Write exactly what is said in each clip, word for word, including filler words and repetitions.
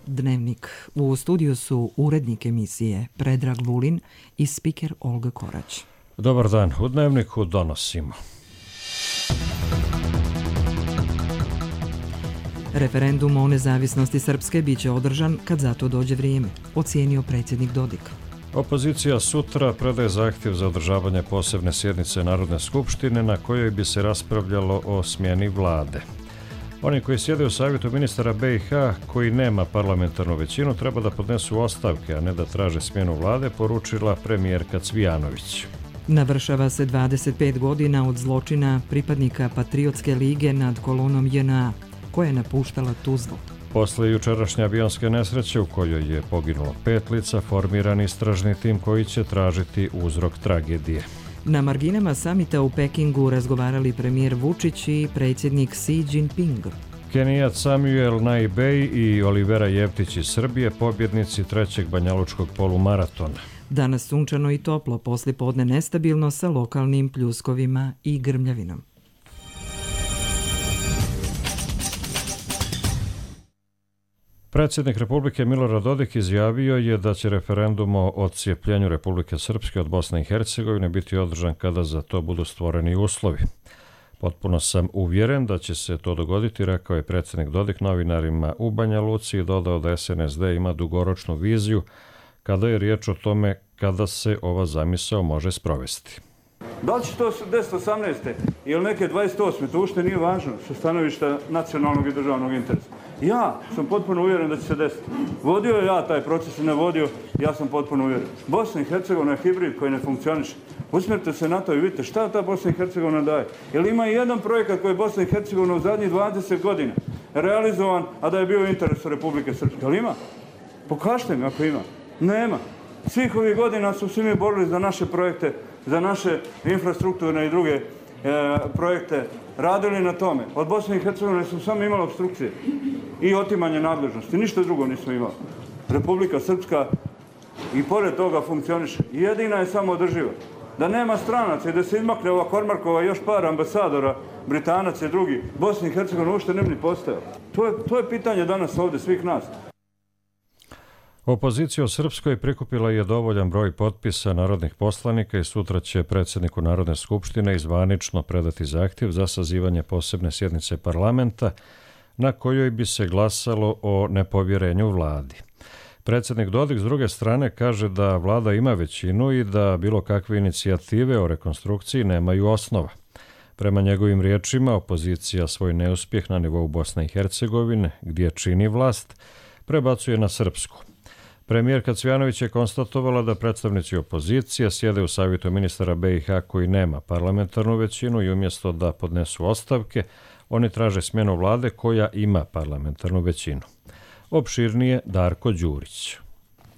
Dnevnik. U studiju su urednik emisije Predrag Vulin i spiker Olga Korać. Dobar dan. U Dnevniku donosimo. Referendum o nezavisnosti Srpske biće održan kad za to dođe vrijeme, ocijenio predsjednik Dodik. Opozicija sutra predaje zahtjev za održavanje posebne sjednice Narodne skupštine na kojoj bi se raspravljalo o smjeni vlade. Oni koji sjede u savjetu ministara B i H koji nema parlamentarnu većinu treba da podnesu ostavke, a ne da traže smjenu vlade, poručila premijerka Cvijanović. Navršava se dvadeset pet godina od zločina pripadnika Patriotske lige nad kolonom J N A, koja je napuštala Tuzlu. Posle jučerašnje avionske nesreće u kojoj je poginulo pet lica, formiran istražni tim koji će tražiti uzrok tragedije. Na marginama samita u Pekingu razgovarali premijer Vučić i predsjednik Xi Jinping. Kenijat Samuel Naibej i Olivera Jevtić iz Srbije, pobjednici trećeg banjalučkog polumaratona. Danas sunčano i toplo, poslije podne nestabilno sa lokalnim pljuskovima i grmljavinom. Predsjednik Republike Milorad Dodik izjavio je da će referendum o odcijepljenju Republike Srpske od Bosne i Hercegovine biti održan kada za to budu stvoreni uslovi. Potpuno sam uvjeren da će se to dogoditi, rekao je predsjednik Dodik novinarima u Banja Luci i dodao da S N S D ima dugoročnu viziju kada je riječ o tome kada se ova zamisao može sprovesti. Da li će to deset osamnaeste ili neke dvadeset osme, to ušte nije važno sa stanovišta nacionalnog i državnog interesa. Ja sam potpuno uvjeren da će se desiti. Vodio je ja taj proces, ne vodio, ja sam potpuno uvjeren. Bosna i Hercegovina je hibrid koji ne funkcioniše. Usmjerite se na to i vidite šta ta Bosna i Hercegovina daje. Jer ima i jedan projekat koji je Bosna i Hercegovina u zadnjih dvadeset godina realizovan, a da je bio u interesu Republike Srpske. Ali ima? Pokažite mi ako ima. Nema. Svih ovih godina su svi mi borili za naše projekte, za naše infrastrukturne i druge e, projekte, radili na tome. Od Bosne i Hercegovine smo samo imali obstrukcije i otimanje nadležnosti. Ništa drugo nismo imali. Republika Srpska i pored toga funkcioniše. Jedina je samo održiva. Da nema stranaca i da se izmakne ova Kormarkova još par ambasadora, Britanaca i drugi, Bosna i Hercegovina uopšte ne bi ni postojala. To je, to je pitanje danas ovdje svih nas. Opozicija u Srpskoj prikupila je dovoljan broj potpisa narodnih poslanika i sutra će predsjedniku Narodne skupštine izvanično predati zahtjev za sazivanje posebne sjednice parlamenta na kojoj bi se glasalo o nepovjerenju vladi. Predsjednik Dodik s druge strane kaže da vlada ima većinu i da bilo kakve inicijative o rekonstrukciji nemaju osnova. Prema njegovim riječima, opozicija svoj neuspjeh na nivou Bosne i Hercegovine, gdje čini vlast, prebacuje na Srpsku. Premijerka Cvijanović je konstatovala da predstavnici opozicije sjede u savjetu ministara B i H koji nema parlamentarnu većinu i umjesto da podnesu ostavke, oni traže smjenu vlade koja ima parlamentarnu većinu. Opširnije Darko Đurić.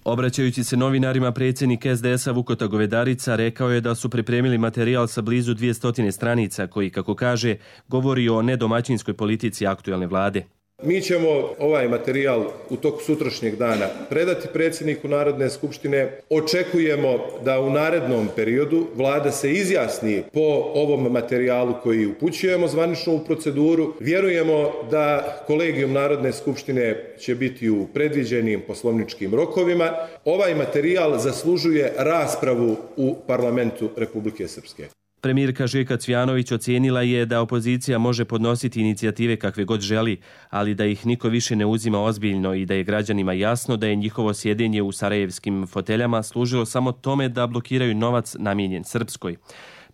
Obraćajući se novinarima, predsjednik S D S-a Vukota Govedarica rekao je da su pripremili materijal sa blizu dvjesto stranica koji, kako kaže, govori o nedomaćinskoj politici aktuelne vlade. Mi ćemo ovaj materijal u toku sutrašnjeg dana predati predsjedniku Narodne skupštine. Očekujemo da u narednom periodu vlada se izjasni po ovom materijalu koji upućujemo zvanično u proceduru. Vjerujemo da kolegijum Narodne skupštine će biti u predviđenim poslovničkim rokovima. Ovaj materijal zaslužuje raspravu u parlamentu Republike Srpske. Premijerka Željka Cvijanović ocijenila je da opozicija može podnositi inicijative kakve god želi, ali da ih niko više ne uzima ozbiljno i da je građanima jasno da je njihovo sjedenje u sarajevskim foteljama služilo samo tome da blokiraju novac namijenjen Srpskoj.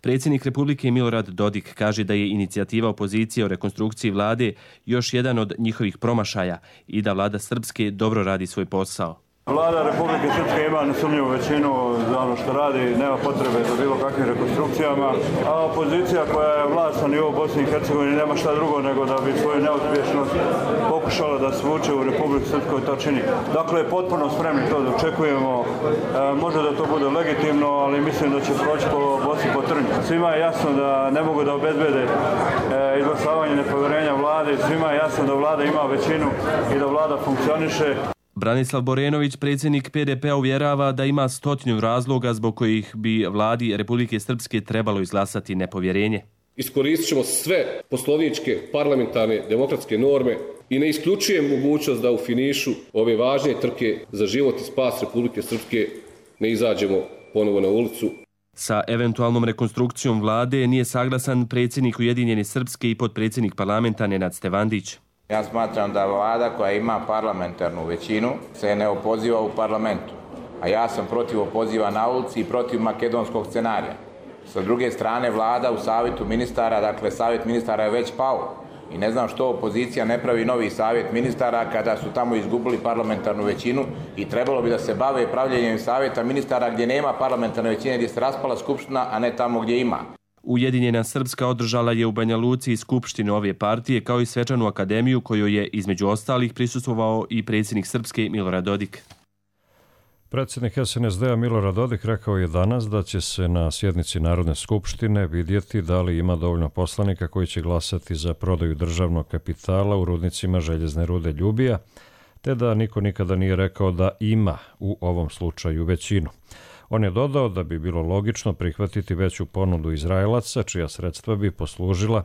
Predsjednik Republike Milorad Dodik kaže da je inicijativa opozicije o rekonstrukciji vlade još jedan od njihovih promašaja i da vlada Srpske dobro radi svoj posao. Vlada Republike Srpske ima nesumnjivu većinu za ono što radi, nema potrebe za bilo kakvim rekonstrukcijama, a opozicija koja je vlast na nivou Bosne i Hercegovine nema šta drugo nego da bi svoju neuspješnost pokušala da svuče u Republiku Srpskoj to čini. Dakle, potpuno spremni to da očekujemo, e, može da to bude legitimno, ali mislim da će proći po boci po trnju. Svima je jasno da ne mogu da obezbede e, izglasavanje nepovjerenja vlade, svima je jasno da vlada ima većinu i da vlada funkcioniše. Branislav Borenović, predsjednik P D P-a, uvjerava da ima stotinu razloga zbog kojih bi vladi Republike Srpske trebalo izglasati nepovjerenje. Iskoristit ćemo sve poslovničke, parlamentarne, demokratske norme I ne isključujem mogućnost da u finišu ove važne trke za život i spas Republike Srpske ne izađemo ponovo na ulicu. Sa eventualnom rekonstrukcijom vlade nije saglasan predsjednik Ujedinjene Srpske i potpredsjednik parlamenta Nenad Stevandić. Ja smatram da vlada koja ima parlamentarnu većinu se ne opoziva u parlamentu, a ja sam protiv opoziva na ulici i protiv makedonskog scenarija. Sa druge strane, vlada u savjetu ministara, dakle savjet ministara je već pao i ne znam što opozicija ne pravi novi savjet ministara kada su tamo izgubili parlamentarnu većinu i trebalo bi da se bave pravljenjem savjeta ministara gdje nema parlamentarne većine, gdje se raspala skupština, a ne tamo gdje ima. Ujedinjena Srpska održala je u Banja Luci i skupštinu ove partije kao i svečanu akademiju kojoj je između ostalih prisustvovao i predsjednik Srpske Milorad Dodik. Predsjednik S N S D-a Milorad Dodik rekao je danas da će se na sjednici Narodne skupštine vidjeti da li ima dovoljno poslanika koji će glasati za prodaju državnog kapitala u rudnicima željezne rude Ljubija, te da niko nikada nije rekao da ima u ovom slučaju većinu. On je dodao da bi bilo logično prihvatiti veću ponudu Izraelaca, čija sredstva bi poslužila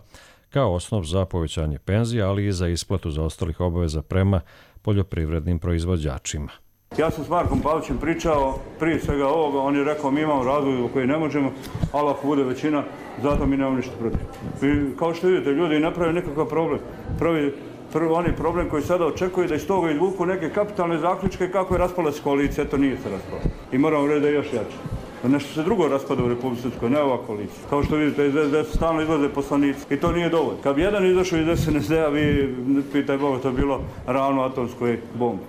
kao osnov za povećanje penzija, ali i za isplatu zaostalih obaveza prema poljoprivrednim proizvođačima. Ja sam s Markom Pavićem pričao prije svega ovoga, on je rekao mi imamo razvoj u koji ne možemo, ali ako bude većina, zato mi nemamo ništa protiv. I kao što vidite, ljudi naprave nekakav problem. Prvi, prvi oni problem koji sada očekuju da iz toga izvuku neke kapitalne zaključke kako je raspala se koalicija, to nije se raspala. I moramo reći da je još jače. Da nešto se drugo raspada u Republici Srpskoj, ne ova koalicija. Kao što vidite, iz S D S stalno izlaze poslanici i to nije dovoljno. Kad bi jedan izašao iz S N S D-a, vi, pitaj Boga, to je bilo ravno atomskoj bombi.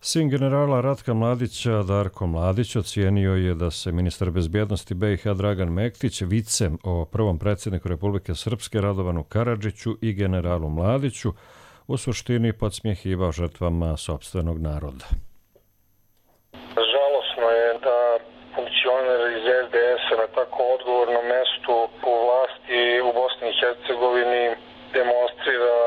Sin generala Ratka Mladića, Darko Mladić, ocijenio je da se ministar bezbjednosti B i H Dragan Mektić vicem o prvom predsjedniku Republike Srpske Radovanu Karadžiću i generalu Mladiću u suštini podsmjehivao žrtvama sopstvenog naroda. Žalosno je da funkcioner iz S D S-a na tako odgovornom mestu u vlasti u Bosni i Hercegovini demonstrira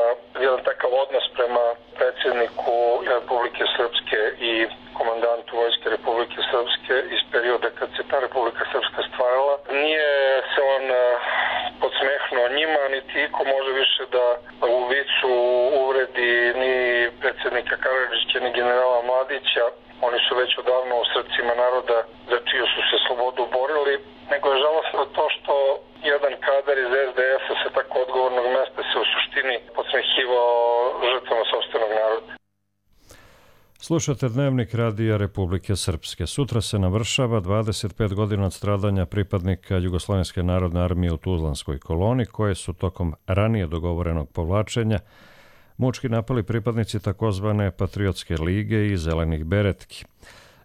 jedan takav odnos prema predsjedniku Republike Srpske i komandantu Vojske Republike Srpske iz perioda kad se ta Republika Srpska stvarala. Nije se on podsmehnuo njima, niti iko može više da u vicu uvredi ni predsjednika Karadžića, ni generala Mladića. Oni su već odavno u srcima naroda za čiju su se slobodu borili, nego je žalostno to što jedan kadar iz S D S-a sa tako odgovornog mesta se u suštini podsmehivao žrtvama sopstvenog naroda. Slušate Dnevnik Radija Republike Srpske. Sutra se navršava dvadeset pet godina od stradanja pripadnika Jugoslovenske narodne armije u Tuzlanskoj koloni, koje su tokom ranije dogovorenog povlačenja mučki napali pripadnici takozvane Patriotske lige i Zelenih beretki.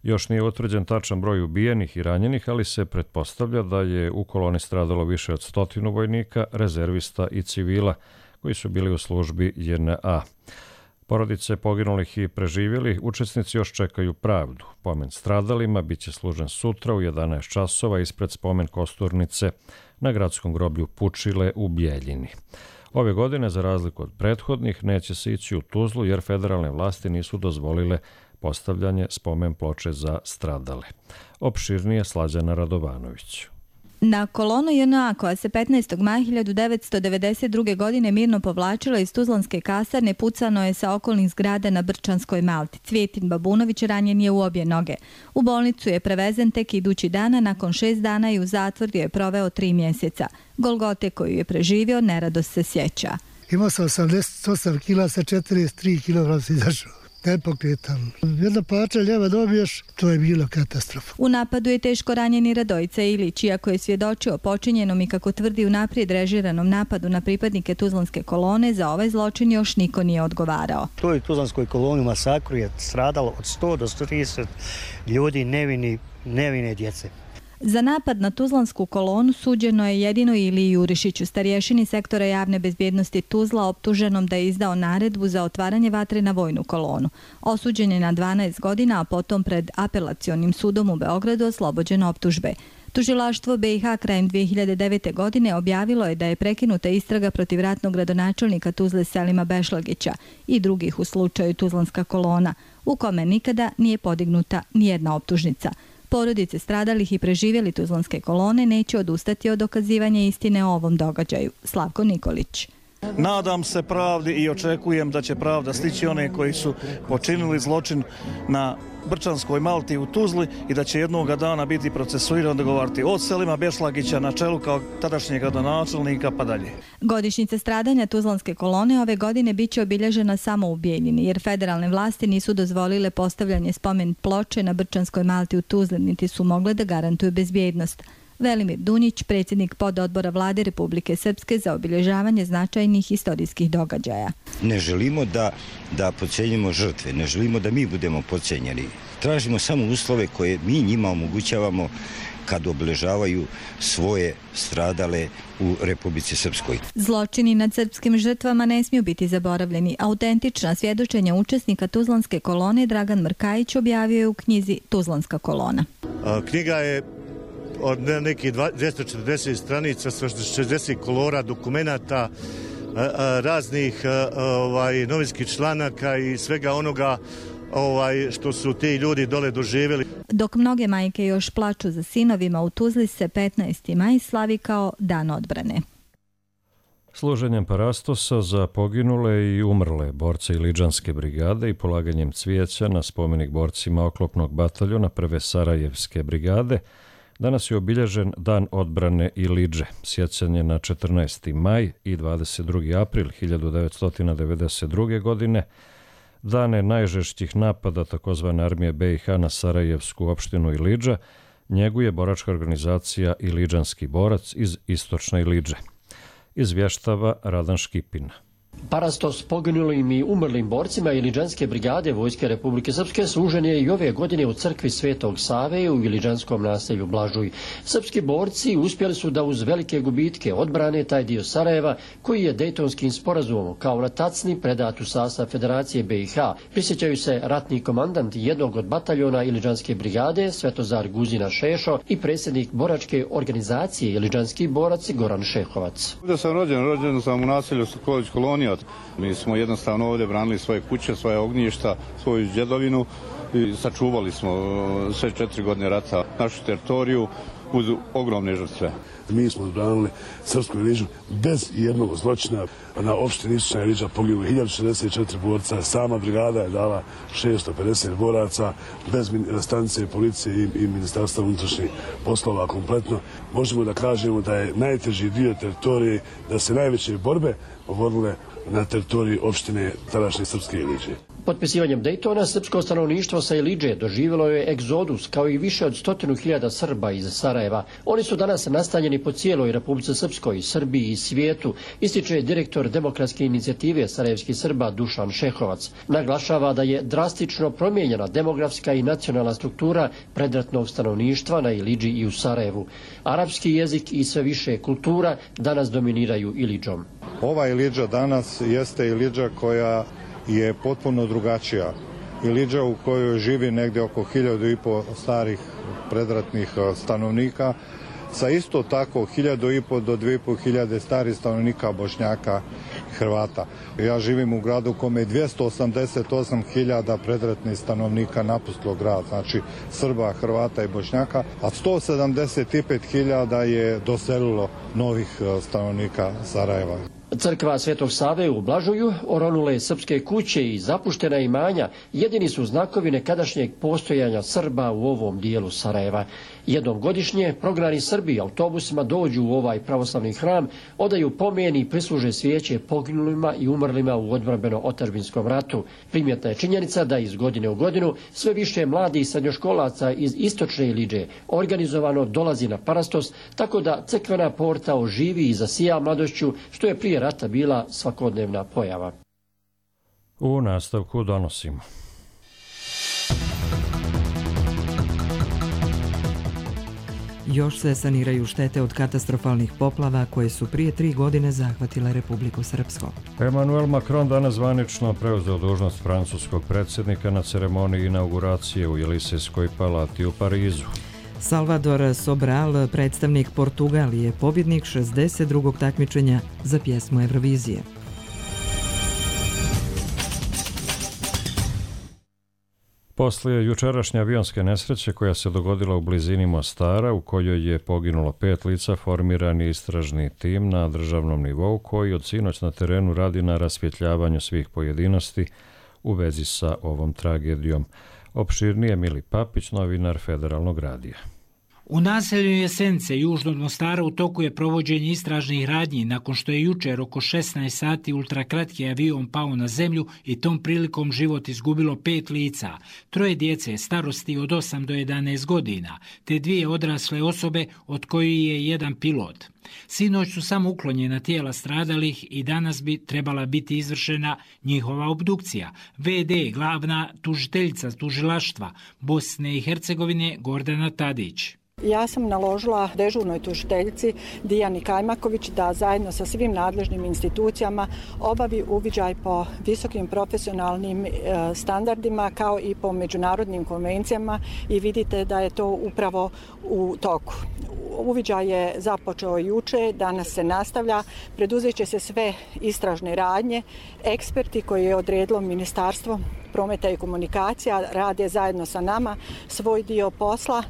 Još nije utvrđen tačan broj ubijenih i ranjenih, ali se pretpostavlja da je u koloni stradalo više od stotinu vojnika, rezervista i civila koji su bili u službi J N A. Porodice poginulih i preživjelih učesnici još čekaju pravdu. Pomen stradalima biće služen sutra u jedanaest časova ispred spomen kosturnice na gradskom groblju Pučile u Bijeljini. Ove godine, za razliku od prethodnih, neće se ići u Tuzlu jer federalne vlasti nisu dozvolile postavljanje spomen ploče za stradale. Opširnije Slađana Radovanović. Na kolonu J N A koja se petnaestog maja hiljadu devetsto devedeset druge. godine mirno povlačila iz Tuzlanske kasarne pucano je sa okolnih zgrada na Brčanskoj Malti. Cvijetin Babunović ranjen je u obje noge. U bolnicu je prevezen tek idući dana, nakon šest dana i u zatvoru je proveo tri mjeseca. Golgote koju je preživio nerado se sjeća. Imao sam osamdeset osam kila, sa četrdeset tri kilograma se izašao. Nepokretan. Jedna pača ljeva dobiješ, to je bilo katastrofa. U napadu je teško ranjeni Radojica Ilić, iako je svjedočio o počinjenom i, kako tvrdi, unaprijed režiranom napadu na pripadnike Tuzlanske kolone, za ovaj zločin još niko nije odgovarao. U toj Tuzlanskoj koloni masakru je stradalo od sto do sto trideset ljudi, nevini, nevine djece. Za napad na Tuzlansku kolonu suđeno je jedino Iliji Jurišiću, starješini sektora javne bezbjednosti Tuzla, optuženom da je izdao naredbu za otvaranje vatre na vojnu kolonu. Osuđen je na dvanaest godina, a potom pred apelacionim sudom u Beogradu oslobođen optužbe. Tužilaštvo B i H krajem dvije hiljade devete. godine objavilo je da je prekinuta istraga protiv ratnog gradonačelnika Tuzle Selima Bešlagića i drugih u slučaju Tuzlanska kolona, u kome nikada nije podignuta nijedna optužnica. Porodice stradalih i preživjeli Tuzlanske kolone neće odustati od dokazivanja istine o ovom događaju. Slavko Nikolić. Nadam se pravdi i očekujem da će pravda stići one koji su počinili zločin na Brčanskoj Malti u Tuzli i da će jednoga dana biti procesuiran, dogovarati od Selima Bešlagića na čelu kao tadašnjeg gradonačelnika pa dalje. Godišnjica stradanja Tuzlanske kolone ove godine bit će obilježena samo u Bijeljini, jer federalne vlasti nisu dozvolile postavljanje spomen ploče na Brčanskoj Malti u Tuzli, niti su mogle da garantuju bezbjednost. Velimir Dunić, predsjednik pododbora Vlade Republike Srpske za obilježavanje značajnih istorijskih događaja. Ne želimo da, da podcijenjimo žrtve, ne želimo da mi budemo podcijenjeni. Tražimo samo uslove koje mi njima omogućavamo kad obilježavaju svoje stradale u Republici Srpskoj. Zločini nad srpskim žrtvama ne smiju biti zaboravljeni. Autentična svjedočenja učesnika Tuzlanske kolone Dragan Mrkajić objavio je u knjizi Tuzlanska kolona. A, knjiga je od nekih dvjesto četrdeset stranica sa šezdeset kolora dokumenata, raznih ovaj, novinskih članaka i svega onoga ovaj, što su ti ljudi dole doživjeli. Dok mnoge majke još plaču za sinovima, u Tuzli se petnaesti maj slavi kao Dan odbrane. Služenjem parastosa za poginule i umrle borce Iliđanske brigade i polaganjem cvijeća na spomenik borcima oklopnog bataljona prve Sarajevske brigade, danas je obilježen Dan odbrane Iliđe, sjećanje na četrnaesti maj i dvadeset drugi april hiljadu devetsto devedeset druge. godine, dane najžešćih napada takozvane armije B i H na Sarajevsku opštinu Iliđa, njeguje boračka organizacija Iliđanski borac iz istočne Iliđe. Izvještava Radan Škipina. Parastos poginulim i umrlim borcima Iliđanske brigade Vojske Republike Srpske služen je i ove godine u crkvi Svetog Save u Iliđanskom naselju Blažuj. Srpski borci uspjeli su da uz velike gubitke odbrane taj dio Sarajeva koji je Dejtonskim sporazumom kao na tacni predat u sastav Federacije B i H. Prisjećaju se ratni komandant jednog od bataljona Iliđanske brigade Svetozar Guzina Šešo i predsjednik boračke organizacije Iliđanski borac Goran Šehovac. Ovdje sam rođen, rođen sam u naselju Sokolić Kolonija. Mi smo jednostavno ovdje branili svoje kuće, svoje ognjišta, svoju djedovinu i sačuvali smo sve četiri godine rata našu teritoriju uz ogromne žrtve. Mi smo branili Srpsku Iliđu bez jednog zločina. Na opštini Istočna Iliđa poginulo hiljadu šezdeset četiri borca, sama brigada je dala šesto pedeset boraca, bez stanice policije i, i ministarstva unutrašnjih poslova kompletno. Možemo da kažemo da je najteži dio teritorije, da se najveće borbe vodile na teritoriji opštine tadašnje Srpske Iliđe. Potpisivanjem Dejtona srpsko stanovništvo sa Iliđe doživjelo je egzodus kao i više od stotinu hiljada Srba iz Sarajeva. Oni su danas nastanjeni po cijeloj Republici Srpskoj, Srbiji i svijetu, ističe direktor Demokratske inicijative sarajevskih Srba Dušan Šehovac. Naglašava da je drastično promijenjena demografska i nacionalna struktura predratnog stanovništva na Iliđi i u Sarajevu. Arapski jezik i sve više kultura danas dominiraju Iliđom. Ova Iliđa danas jeste Iliđa koja je potpuno drugačija. Iliđa u kojoj živi negdje oko hiljadu i po starih predratnih stanovnika, sa isto tako hiljadu i po do dvije i po hiljade starih stanovnika Bošnjaka i Hrvata. Ja živim u gradu kome je dvjesto osamdeset osam hiljada predratnih stanovnika napustilo grad, znači Srba, Hrvata i Bošnjaka, a sto sedamdeset pet hiljada je doselilo novih stanovnika Sarajeva. Crkva Svetog Save u Blažuju, oronule srpske kuće i zapuštena imanja jedini su znakovi nekadašnjeg postojanja Srba u ovom dijelu Sarajeva. Jednom godišnje prognani Srbi autobusima dođu u ovaj pravoslavni hram, odaju pomen i prisluže svijeće poginulima i umrlima u odbrambeno-otadžbinskom ratu. Primjetna je činjenica da iz godine u godinu sve više mladih srednjoškolaca iz istočne Iliđe organizovano dolazi na parastos, tako da crkvena porta oživi i zasija mladošću, što je prije rata bila svakodnevna pojava. U nastavku donosimo. Još se saniraju štete od katastrofalnih poplava koje su prije tri godine zahvatile Republiku Srpsku. Emmanuel Macron danas zvanično preuzeo dužnost francuskog predsjednika na ceremoniji inauguracije u Jelisejskoj palati u Parizu. Salvador Sobral, predstavnik Portugalije, pobjednik šezdeset drugog takmičenja za pjesmu Eurovizije. Poslije jučerašnje avionske nesreće koja se dogodila u blizini Mostara, u kojoj je poginulo pet lica, formiran je istražni tim na državnom nivou koji od sinoć na terenu radi na rasvjetljavanju svih pojedinosti u vezi sa ovom tragedijom. Opširnije Mili Papić, novinar Federalnog radija. U naselju Jesenice, južno od Mostara, u toku je provođenje istražnih radnji nakon što je jučer oko šesnaest sati ultrakratki avion pao na zemlju i tom prilikom život izgubilo pet lica, troje djece starosti od osam do jedanaest godina, te dvije odrasle osobe od kojih je jedan pilot. Sinoć su samo uklonjena tijela stradalih i danas bi trebala biti izvršena njihova obdukcija. ve de glavna tužiteljica tužilaštva Bosne i Hercegovine Gordana Tadić. Ja sam naložila dežurnoj tužiteljici Dijani Kajmaković da zajedno sa svim nadležnim institucijama obavi uviđaj po visokim profesionalnim standardima kao i po međunarodnim konvencijama i vidite da je to upravo u toku. Uviđaj je započeo juče, danas se nastavlja, preduzet će se sve istražne radnje. Eksperti koje je odredilo Ministarstvo prometa i komunikacija rade zajedno sa nama svoj dio posla.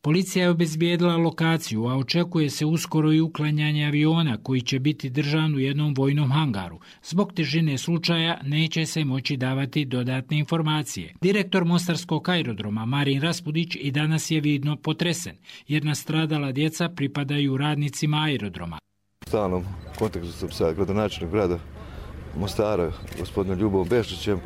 Policija je obezbijedila lokaciju, a očekuje se uskoro i uklanjanje aviona koji će biti držan u jednom vojnom hangaru. Zbog težine slučaja neće se moći davati dodatne informacije. Direktor Mostarskog aerodroma Marin Raspudić i danas je vidno potresen, jer nastradala djeca pripadaju radnicima aerodroma. U stalnom kontaktu sam sa gradonačelnikom grada Mostara, gospodinom Ljubom Bešlićem,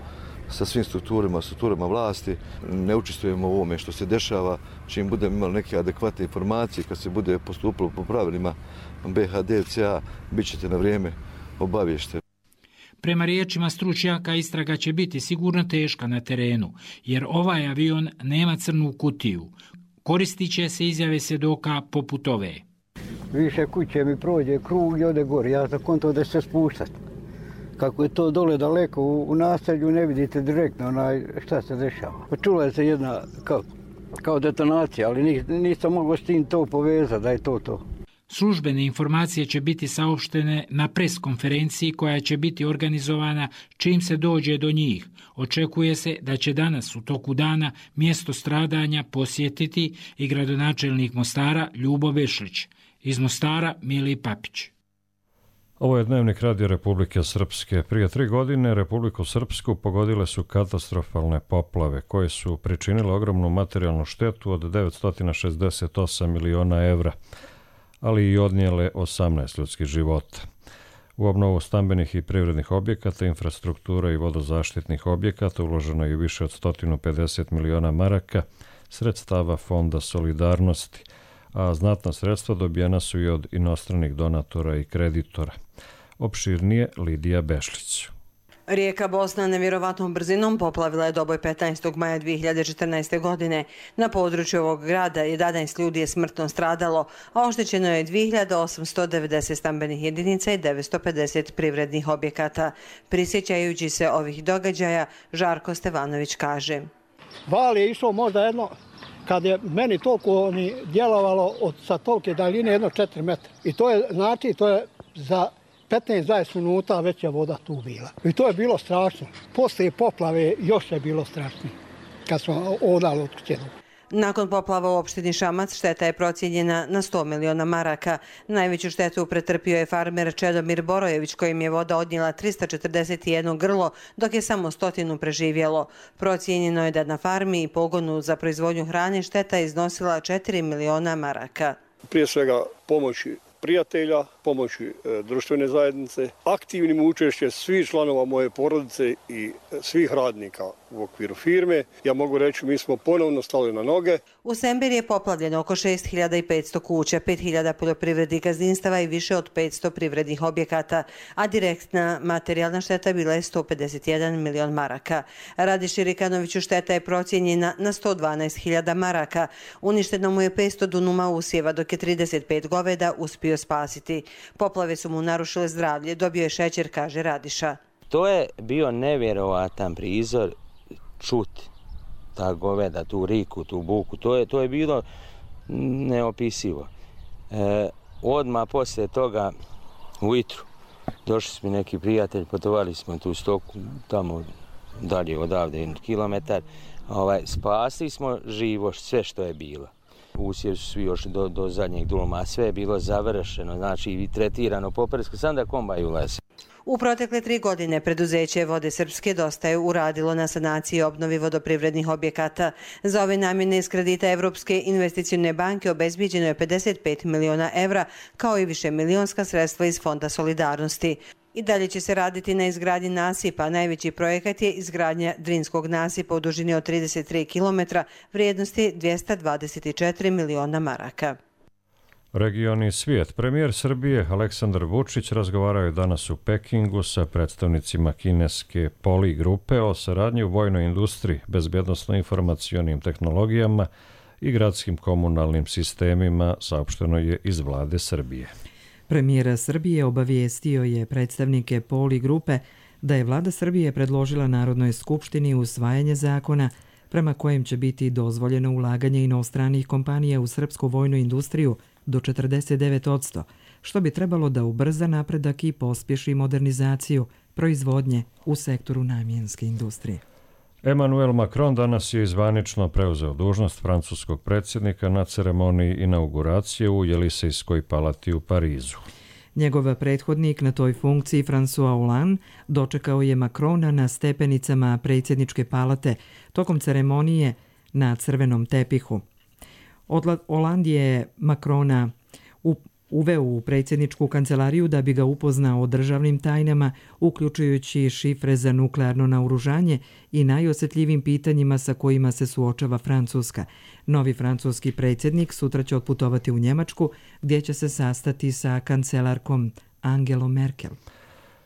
sa svim strukturama, strukturama vlasti. Ne učestvujemo u ovome što se dešava. Čim budemo imali neke adekvatne informacije, kad se bude postupilo po pravilima be ha de ce a, bit ćete na vrijeme obavješteni. Prema riječima stručnjaka, istraga će biti sigurno teška na terenu, jer ovaj avion nema crnu kutiju. Koristit će se izjave svjedoka poput ove. Više kuće mi prođe krug i ode gore. Ja sam konto da će se spuštati. Kako je to dole daleko u, u naselju, ne vidite direktno onaj, šta se dešava. Čula je se jedna kao, kao detonacija, ali nisam mogao s tim to povezati, da je to to. Službene informacije će biti saopštene na pres konferenciji koja će biti organizovana čim se dođe do njih. Očekuje se da će danas u toku dana mjesto stradanja posjetiti i gradonačelnik Mostara Ljubo Bešlić. Iz Mostara Mili Papić. Ovo je Dnevnik Radio Republike Srpske. Prije tri godine Republiku Srpsku pogodile su katastrofalne poplave koje su pričinile ogromnu materijalnu štetu od devetsto šezdeset osam miliona evra, ali i odnijele osamnaest ljudskih života. U obnovu stambenih i privrednih objekata, infrastruktura i vodozaštitnih objekata uloženo je više od sto pedeset miliona maraka sredstava Fonda solidarnosti, a znatna sredstva dobijena su i od inostranih donatora i kreditora. Opširnije Lidija Bešlić. Rijeka Bosna nevjerovatnom brzinom poplavila je Doboj petnaestog maja dvije hiljade četrnaeste. godine. Na području ovog grada jedanaest ljudi je smrtno stradalo, a oštećeno je dvije hiljade osamsto devedeset stambenih jedinica i devetsto pedeset privrednih objekata. Prisjećajući se ovih događaja, Žarko Stevanović kaže. Val je išao možda jedno, kad je meni toliko djelovalo od sa tolike daljine, jedno četiri metra. I to je, znači, to je za petnaest do dvadeset minuta već je voda tu bila. I to je bilo strašno. Poslije poplave još je bilo strašno, kad smo odali od kuće. Nakon poplava u opštini Šamac šteta je procijenjena na sto miliona maraka. Najveću štetu pretrpio je farmer Čedomir Borojević, kojim je voda odnijela trista četrdeset jedno grlo, dok je samo stotinu preživjelo. Procijenjeno je da na farmi i pogonu za proizvodnju hrane šteta iznosila četiri miliona maraka. Prije svega pomoći prijatelja, pomoći e, društvene zajednice, aktivnim učešćem svih članova moje porodice i svih radnika u okviru firme. Ja mogu reći, mi smo ponovno stali na noge. U Sembir je poplavljeno oko šest hiljada petsto kuća, pet hiljada poljoprivrednih gazdinstava i više od petsto privrednih objekata, a direktna materijalna šteta bila je sto pedeset jedan milion maraka. Radiši Rikanoviću šteta je procijenjena na sto dvanaest hiljada maraka. Uništeno mu je petsto dunuma usjeva, dok je trideset pet goveda uspio spasiti. Poplave su mu narušile zdravlje, dobio je šećer, kaže Radiša. To je bio nevjerovatan prizor čuti ta goveda, tu riku, tu buku. To je, to je bilo neopisivo. E, odmah poslije toga ujutru došli smo neki prijatelji, putovali smo tu stoku tamo dalje odavde kilometar. Ovaj, spasili smo živo sve što je bilo. Usjevi su svi još do, do zadnjeg duluma, a sve je bilo završeno, znači i tretirano popresko, sam da kombaj ulazi. U protekle tri godine preduzeće Vode Srpske dosta je uradilo na sanaciji i obnovi vodoprivrednih objekata. Za ove namjene iz kredita Evropske investicione banke obezbiđeno je pedeset pet miliona evra, kao i više milionska sredstva iz Fonda solidarnosti. I dalje će se raditi na izgradnji nasipa. Najveći projekat je izgradnja Drinskog nasipa u dužini od trideset tri kilometra, vrijednosti dvjesto dvadeset četiri miliona maraka. Regioni svijet. Premijer Srbije Aleksandar Vučić razgovarao je danas u Pekingu sa predstavnicima kineske Poli grupe o saradnji u vojnoj industriji, bezbjednosno-informacionim tehnologijama i gradskim komunalnim sistemima, saopšteno je iz vlade Srbije. Premijer Srbije obavijestio je predstavnike Poli grupe da je vlada Srbije predložila Narodnoj skupštini usvajanje zakona prema kojem će biti dozvoljeno ulaganje inostranih kompanija u srpsku vojnu industriju do četrdeset devet posto, što bi trebalo da ubrza napredak i pospješi modernizaciju proizvodnje u sektoru namjenske industrije. Emmanuel Macron danas je zvanično preuzeo dužnost francuskog predsjednika na ceremoniji inauguracije u Jelisejskoj palati u Parizu. Njegov prethodnik na toj funkciji, François Hollande, dočekao je Macrona na stepenicama predsjedničke palate tokom ceremonije na crvenom tepihu. Hollande je Macrona uveo u predsjedničku kancelariju da bi ga upoznao o državnim tajnama, uključujući šifre za nuklearno naoružanje i najosjetljivim pitanjima sa kojima se suočava Francuska. Novi francuski predsjednik sutra će otputovati u Njemačku, gdje će se sastati sa kancelarkom Angelom Merkel.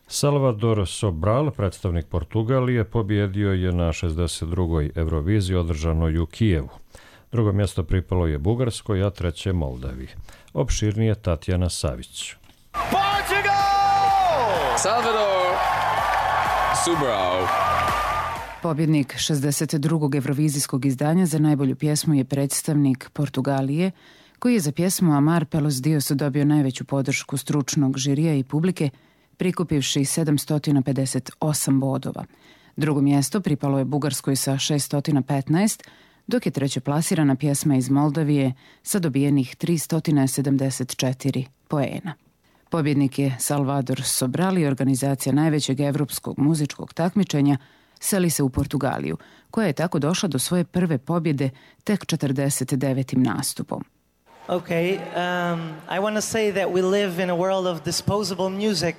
Salvador Sobral, predstavnik Portugalije, pobjedio je na šezdeset drugoj Euroviziji održanoj u Kijevu. Drugo mjesto pripalo je Bugarskoj, a treće Moldaviji. Opširnije Tatjana Savić. Portugal! Salvador Sobral. Pobjednik šezdeset drugog Eurovizijskog izdanja za najbolju pjesmu je predstavnik Portugalije, koji je za pjesmu Amar pelos Dios dobio najveću podršku stručnog žirija i publike, prikupivši sedamsto pedeset osam bodova. Drugo mjesto pripalo je Bugarskoj sa šeststo petnaest, dok je treće plasirana pjesma iz Moldavije sa dobijenih tristo sedamdeset četiri poena. Pobjednik je Salvador Sobral i organizacija najvećeg evropskog muzičkog takmičenja seli se u Portugaliju, koja je tako došla do svoje prve pobjede tek četrdeset devetim nastupom. Okay, um, I want to say that we live in a world of disposable music.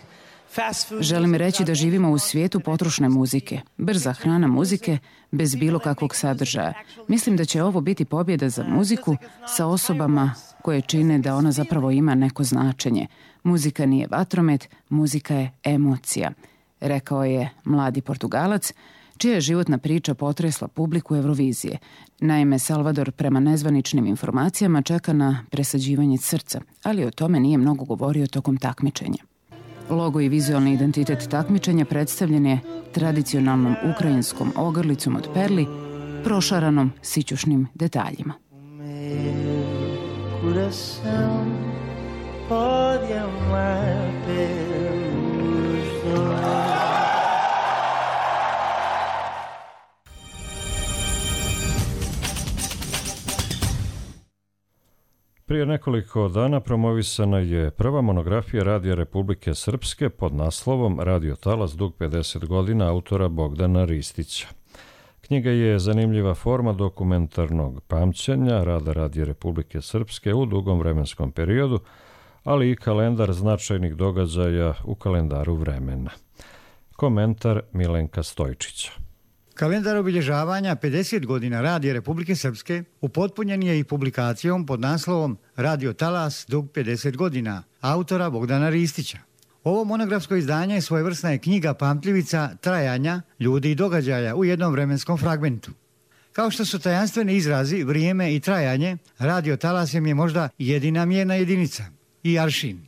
Želim reći da živimo u svijetu potrošne muzike, brza hrana muzike, bez bilo kakvog sadržaja. Mislim da će ovo biti pobjeda za muziku sa osobama koje čine da ona zapravo ima neko značenje. Muzika nije vatromet, muzika je emocija, rekao je mladi Portugalac, čija je životna priča potresla publiku Eurovizije. Naime, Salvador prema nezvaničnim informacijama čeka na presađivanje srca, ali o tome nije mnogo govorio tokom takmičenja. Logo i vizualni identitet takmičenja predstavljen je tradicionalnom ukrajinskom ogrlicom od perli, prošaranom sićušnim detaljima. Prije nekoliko dana promovisana je prva monografija Radija Republike Srpske pod naslovom Radio Talas dug pedeset godina autora Bogdana Ristića. Knjiga je zanimljiva forma dokumentarnog pamćenja rada Radija Republike Srpske u dugom vremenskom periodu, ali i kalendar značajnih događaja u kalendaru vremena. Komentar Milenka Stojčića. Kalendar obilježavanja pedeset godina Radija Republike Srpske upotpunjen je i publikacijom pod naslovom Radio Talas dug pedeset godina autora Bogdana Ristića. Ovo monografsko izdanje svojevrsna je knjiga pamtljivica trajanja ljudi i događaja u jednom vremenskom fragmentu. Kao što su tajanstveni izrazi vrijeme i trajanje, Radio Talas je možda jedina mjerna jedinica i aršin.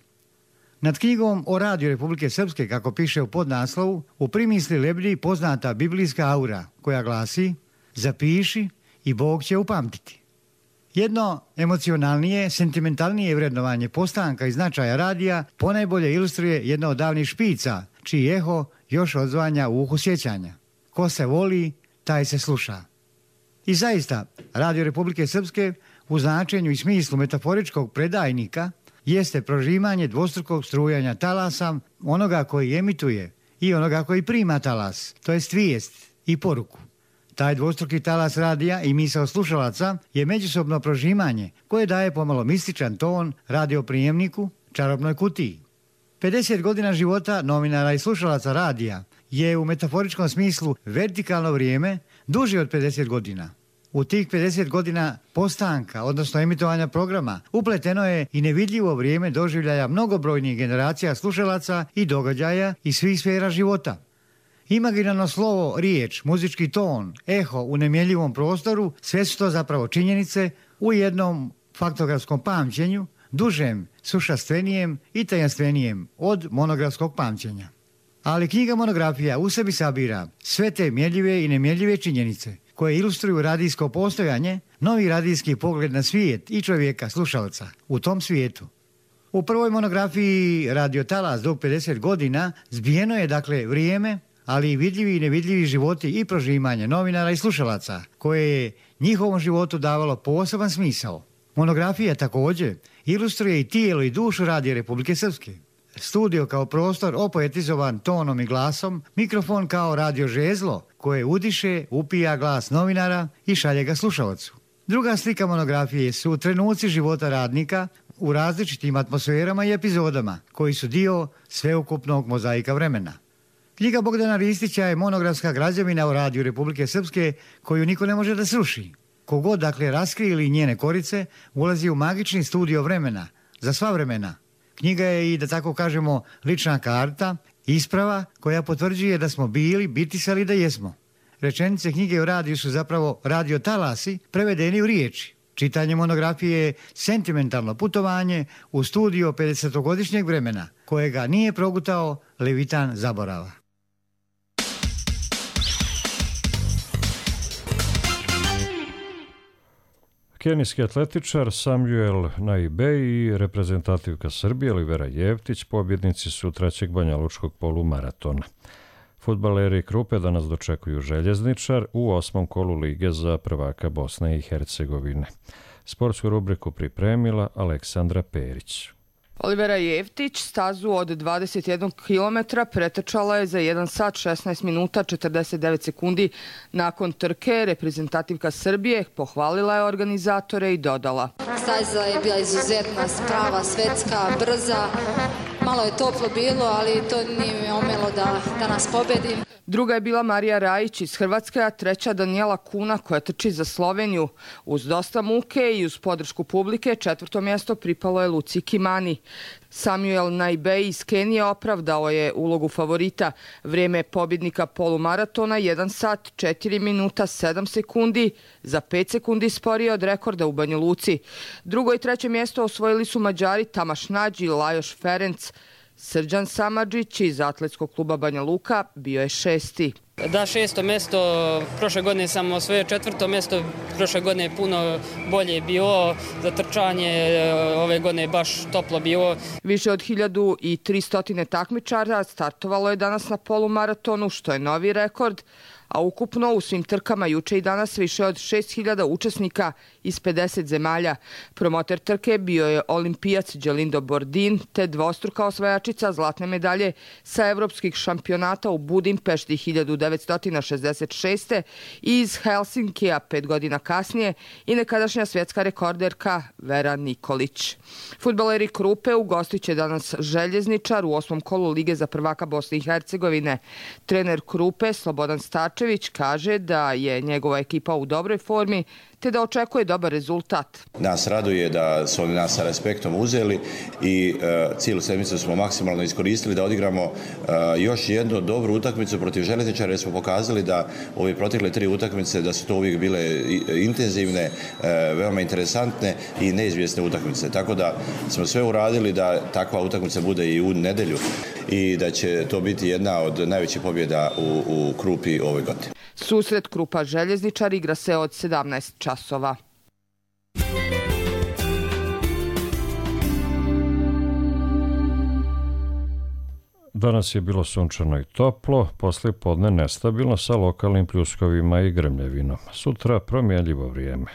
Nad knjigom o Radiju Republike Srpske, kako piše u podnaslovu, u primisli lebdi poznata biblijska aura koja glasi: zapiši i Bog će upamtiti. Jedno emocionalnije, sentimentalnije vrednovanje postanka i značaja radija ponajbolje ilustruje jedno od davnih špica, čiji eho još odzvanja u uhu sjećanja. ko se voli, taj se sluša. I zaista, Radio Republike Srpske u značenju i smislu metaforičkog predajnika jeste prožimanje dvostrukog strujanja talasa onoga koji emituje i onoga koji prima talas, to jest vijest i poruku. Taj dvostruki talas radija i misao slušalaca je međusobno prožimanje koje daje pomalo mističan ton radioprijemniku, čarobnoj kutiji. pedeset godina života novinara i slušalaca radija je u metaforičkom smislu vertikalno vrijeme duže od pedeset godina. U tih pedeset godina postanka, odnosno emitovanja programa, upleteno je i nevidljivo vrijeme doživljaja mnogobrojnih generacija slušalaca i događaja iz svih sfera života. Imaginarno slovo, riječ, muzički ton, eho u nemjeljivom prostoru, sve su to zapravo činjenice u jednom faktografskom pamćenju, dužem, sušastvenijem i tajanstvenijem od monografskog pamćenja. Ali knjiga monografija u sebi sabira sve te mjerljive i nemjerljive činjenice koje ilustruju radijsko postojanje, novi radijski pogled na svijet i čovjeka, slušalca, u tom svijetu. U prvoj monografiji Radio Talas dug pedeset godina zbijeno je dakle vrijeme, ali i vidljivi i nevidljivi životi i prožimanje novinara i slušalaca, koje je njihovom životu davalo poseban smisao. Monografija također ilustruje i tijelo i dušu Radija Republike Srpske. Studio kao prostor opoetizovan tonom i glasom, mikrofon kao radio žezlo koje udiše, upija glas novinara i šalje ga slušalcu. Druga slika monografije su trenuci života radnika u različitim atmosferama i epizodama koji su dio sveukupnog mozaika vremena. Knjiga Bogdana Ristića je monografska građevina o Radiju Republike Srpske koju niko ne može da sruši. Kogod dakle raskrili njene korice ulazi u magični studio vremena, za sva vremena. Knjiga je i, da tako kažemo, lična karta, isprava koja potvrđuje da smo bili, bitisali da jesmo. Rečenice knjige o radiju su zapravo radio talasi prevedeni u riječi. Čitanje monografije je sentimentalno putovanje u studio pedesetogodišnjeg vremena, kojega nije progutao levitan zaborava. Kenijski atletičar Samuel Naibej i reprezentativka Srbije Olivera Jevtić pobjednici su trećeg banjalučkog polumaratona. Fudbaleri Krupe danas dočekuju Željezničar u osmom kolu lige za prvaka Bosne i Hercegovine. Sportsku rubriku pripremila Aleksandra Perić. Olivera Jevtić stazu od dvadeset jedan kilometra pretrčala je za jedan sat šesnaest minuta četrdeset devet sekundi. Nakon trke reprezentativka Srbije pohvalila je organizatore i dodala: Staza je bila izuzetna, prava, svetska, brza. Malo je toplo bilo, ali to nije mi omelo da, da nas pobedim. Druga je bila Marija Rajić iz Hrvatske, a treća Danijela Kuna koja trči za Sloveniju. Uz dosta muke i uz podršku publike četvrto mjesto pripalo je Luci Kimani. Samuel Naibej iz Kenije opravdao je ulogu favorita. Vrijeme pobjednika polumaratona jedan sat četiri minuta sedam sekundi, za pet sekundi sporije od rekorda u Banja Luci. Drugo i treće mjesto osvojili su Mađari Tamaš Nađi i Lajoš Ferenc. Srđan Samadžić iz atletskog kluba Banja Luka bio je šesti. Da, šesto mjesto, prošle godine sam osvojio četvrto mjesto, prošle godine je puno bolje bilo, za trčanje ove godine je baš toplo bilo. Više od hiljadu tristo takmičara startovalo je danas na polumaratonu, što je novi rekord, a ukupno u svim trkama juče i danas više od šest hiljada učesnika iz pedeset zemalja. Promoter trke bio je olimpijac Đelindo Bordin, te dvostruka osvajačica zlatne medalje sa evropskih šampionata u Budimpešti hiljadu devetsto šezdeset šeste i iz Helsinkija pet godina kasnije i nekadašnja svjetska rekorderka Vera Nikolić. Fudbaleri Krupe ugostit će danas Željezničar u osmom kolu lige za prvaka Bosne i Hercegovine. Trener Krupe Slobodan Stačević kaže da je njegova ekipa u dobroj formi te da očekuje dobar rezultat. Nas raduje da su oni nas sa respektom uzeli i uh, cijelu sedmicu smo maksimalno iskoristili da odigramo uh, još jednu dobru utakmicu protiv Željezničara, jer smo pokazali da ove protekle tri utakmice da su to uvijek bile intenzivne, uh, veoma interesantne i neizvjesne utakmice. Tako da smo sve uradili da takva utakmica bude i u nedjelju i da će to biti jedna od najvećih pobjeda u, u Krupi ove godine. Susret Krupa Željezničar igra se od sedamnaest časova. Danas je bilo sunčano i toplo, poslije podne nestabilno sa lokalnim pljuskovima i grmljavinom. Sutra promjenljivo vrijeme.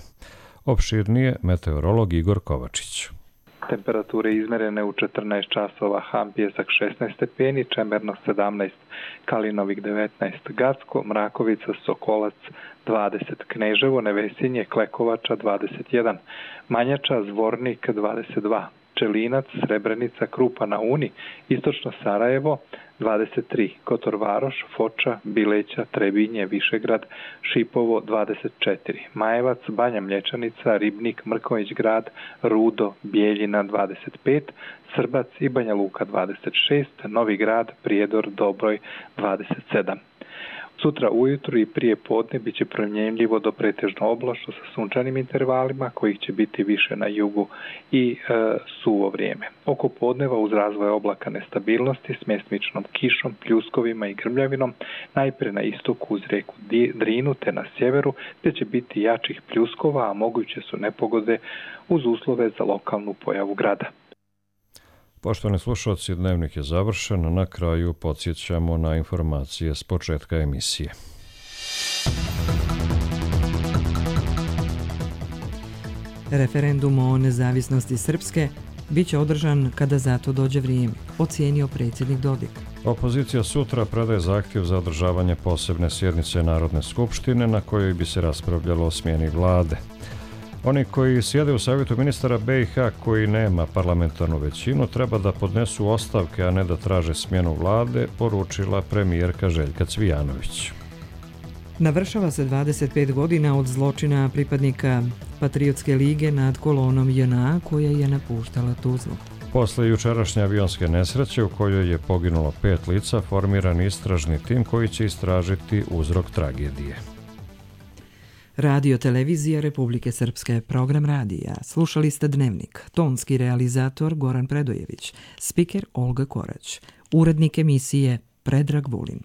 Opširnije meteorolog Igor Kovačić. Temperature izmerene u četrnaest časova, Han Pijesak šesnaest stepeni, Čemerno sedamnaest, Kalinovik devetnaest, Gacko, Mrakovica, Sokolac dvadeset, Kneževo, Nevesinje, Klekovača dvadeset jedan, Manjača, Zvornik dvadeset dva, Čelinac, Srebrenica, Krupa na Uni, Istočno Sarajevo dvadeset tri, Kotor Varoš, Foča, Bileća, Trebinje, Višegrad, Šipovo dvadeset četiri, Majevac, Banja Mlječanica, Ribnik, Mrković grad, Rudo, Bijeljina dvadeset pet, Srbac i Banja Luka dvadeset šest, Novi grad, Prijedor, Dobroj dvadeset sedam. Sutra ujutru i prije podne bit će promjenljivo do pretežno oblačno sa sunčanim intervalima, kojih će biti više na jugu i e, suvo vrijeme. Oko podneva uz razvoj oblaka nestabilnosti s mjestimičnom kišom, pljuskovima i grmljavinom, najprije na istoku uz rijeku Drinu te na sjeveru, te će biti jačih pljuskova, a moguće su nepogode uz uslove za lokalnu pojavu grada. Poštovani slušalci, dnevnik je završen. Na kraju podsjećamo na informacije s početka emisije. Referendum o nezavisnosti Srpske bit će održan kada za to dođe vrijeme, ocijenio predsjednik Dodik. Opozicija sutra predaje zahtjev za održavanje posebne sjednice Narodne skupštine na kojoj bi se raspravljalo o smjeni vlade. Oni koji sjede u savjetu ministara B i H koji nema parlamentarnu većinu treba da podnesu ostavke, a ne da traže smjenu vlade, poručila premijerka Željka Cvijanović. Navršava se dvadeset pet godina od zločina pripadnika Patriotske lige nad kolonom J N A koja je napuštala Tuzlu. Posle jučerašnje avionske nesreće u kojoj je poginulo pet lica, formiran istražni tim koji će istražiti uzrok tragedije. Radio Televizija Republike Srpske, program radija. Slušali ste Dnevnik. Tonski realizator Goran Predojević, spiker Olga Korać, urednik emisije Predrag Vulin.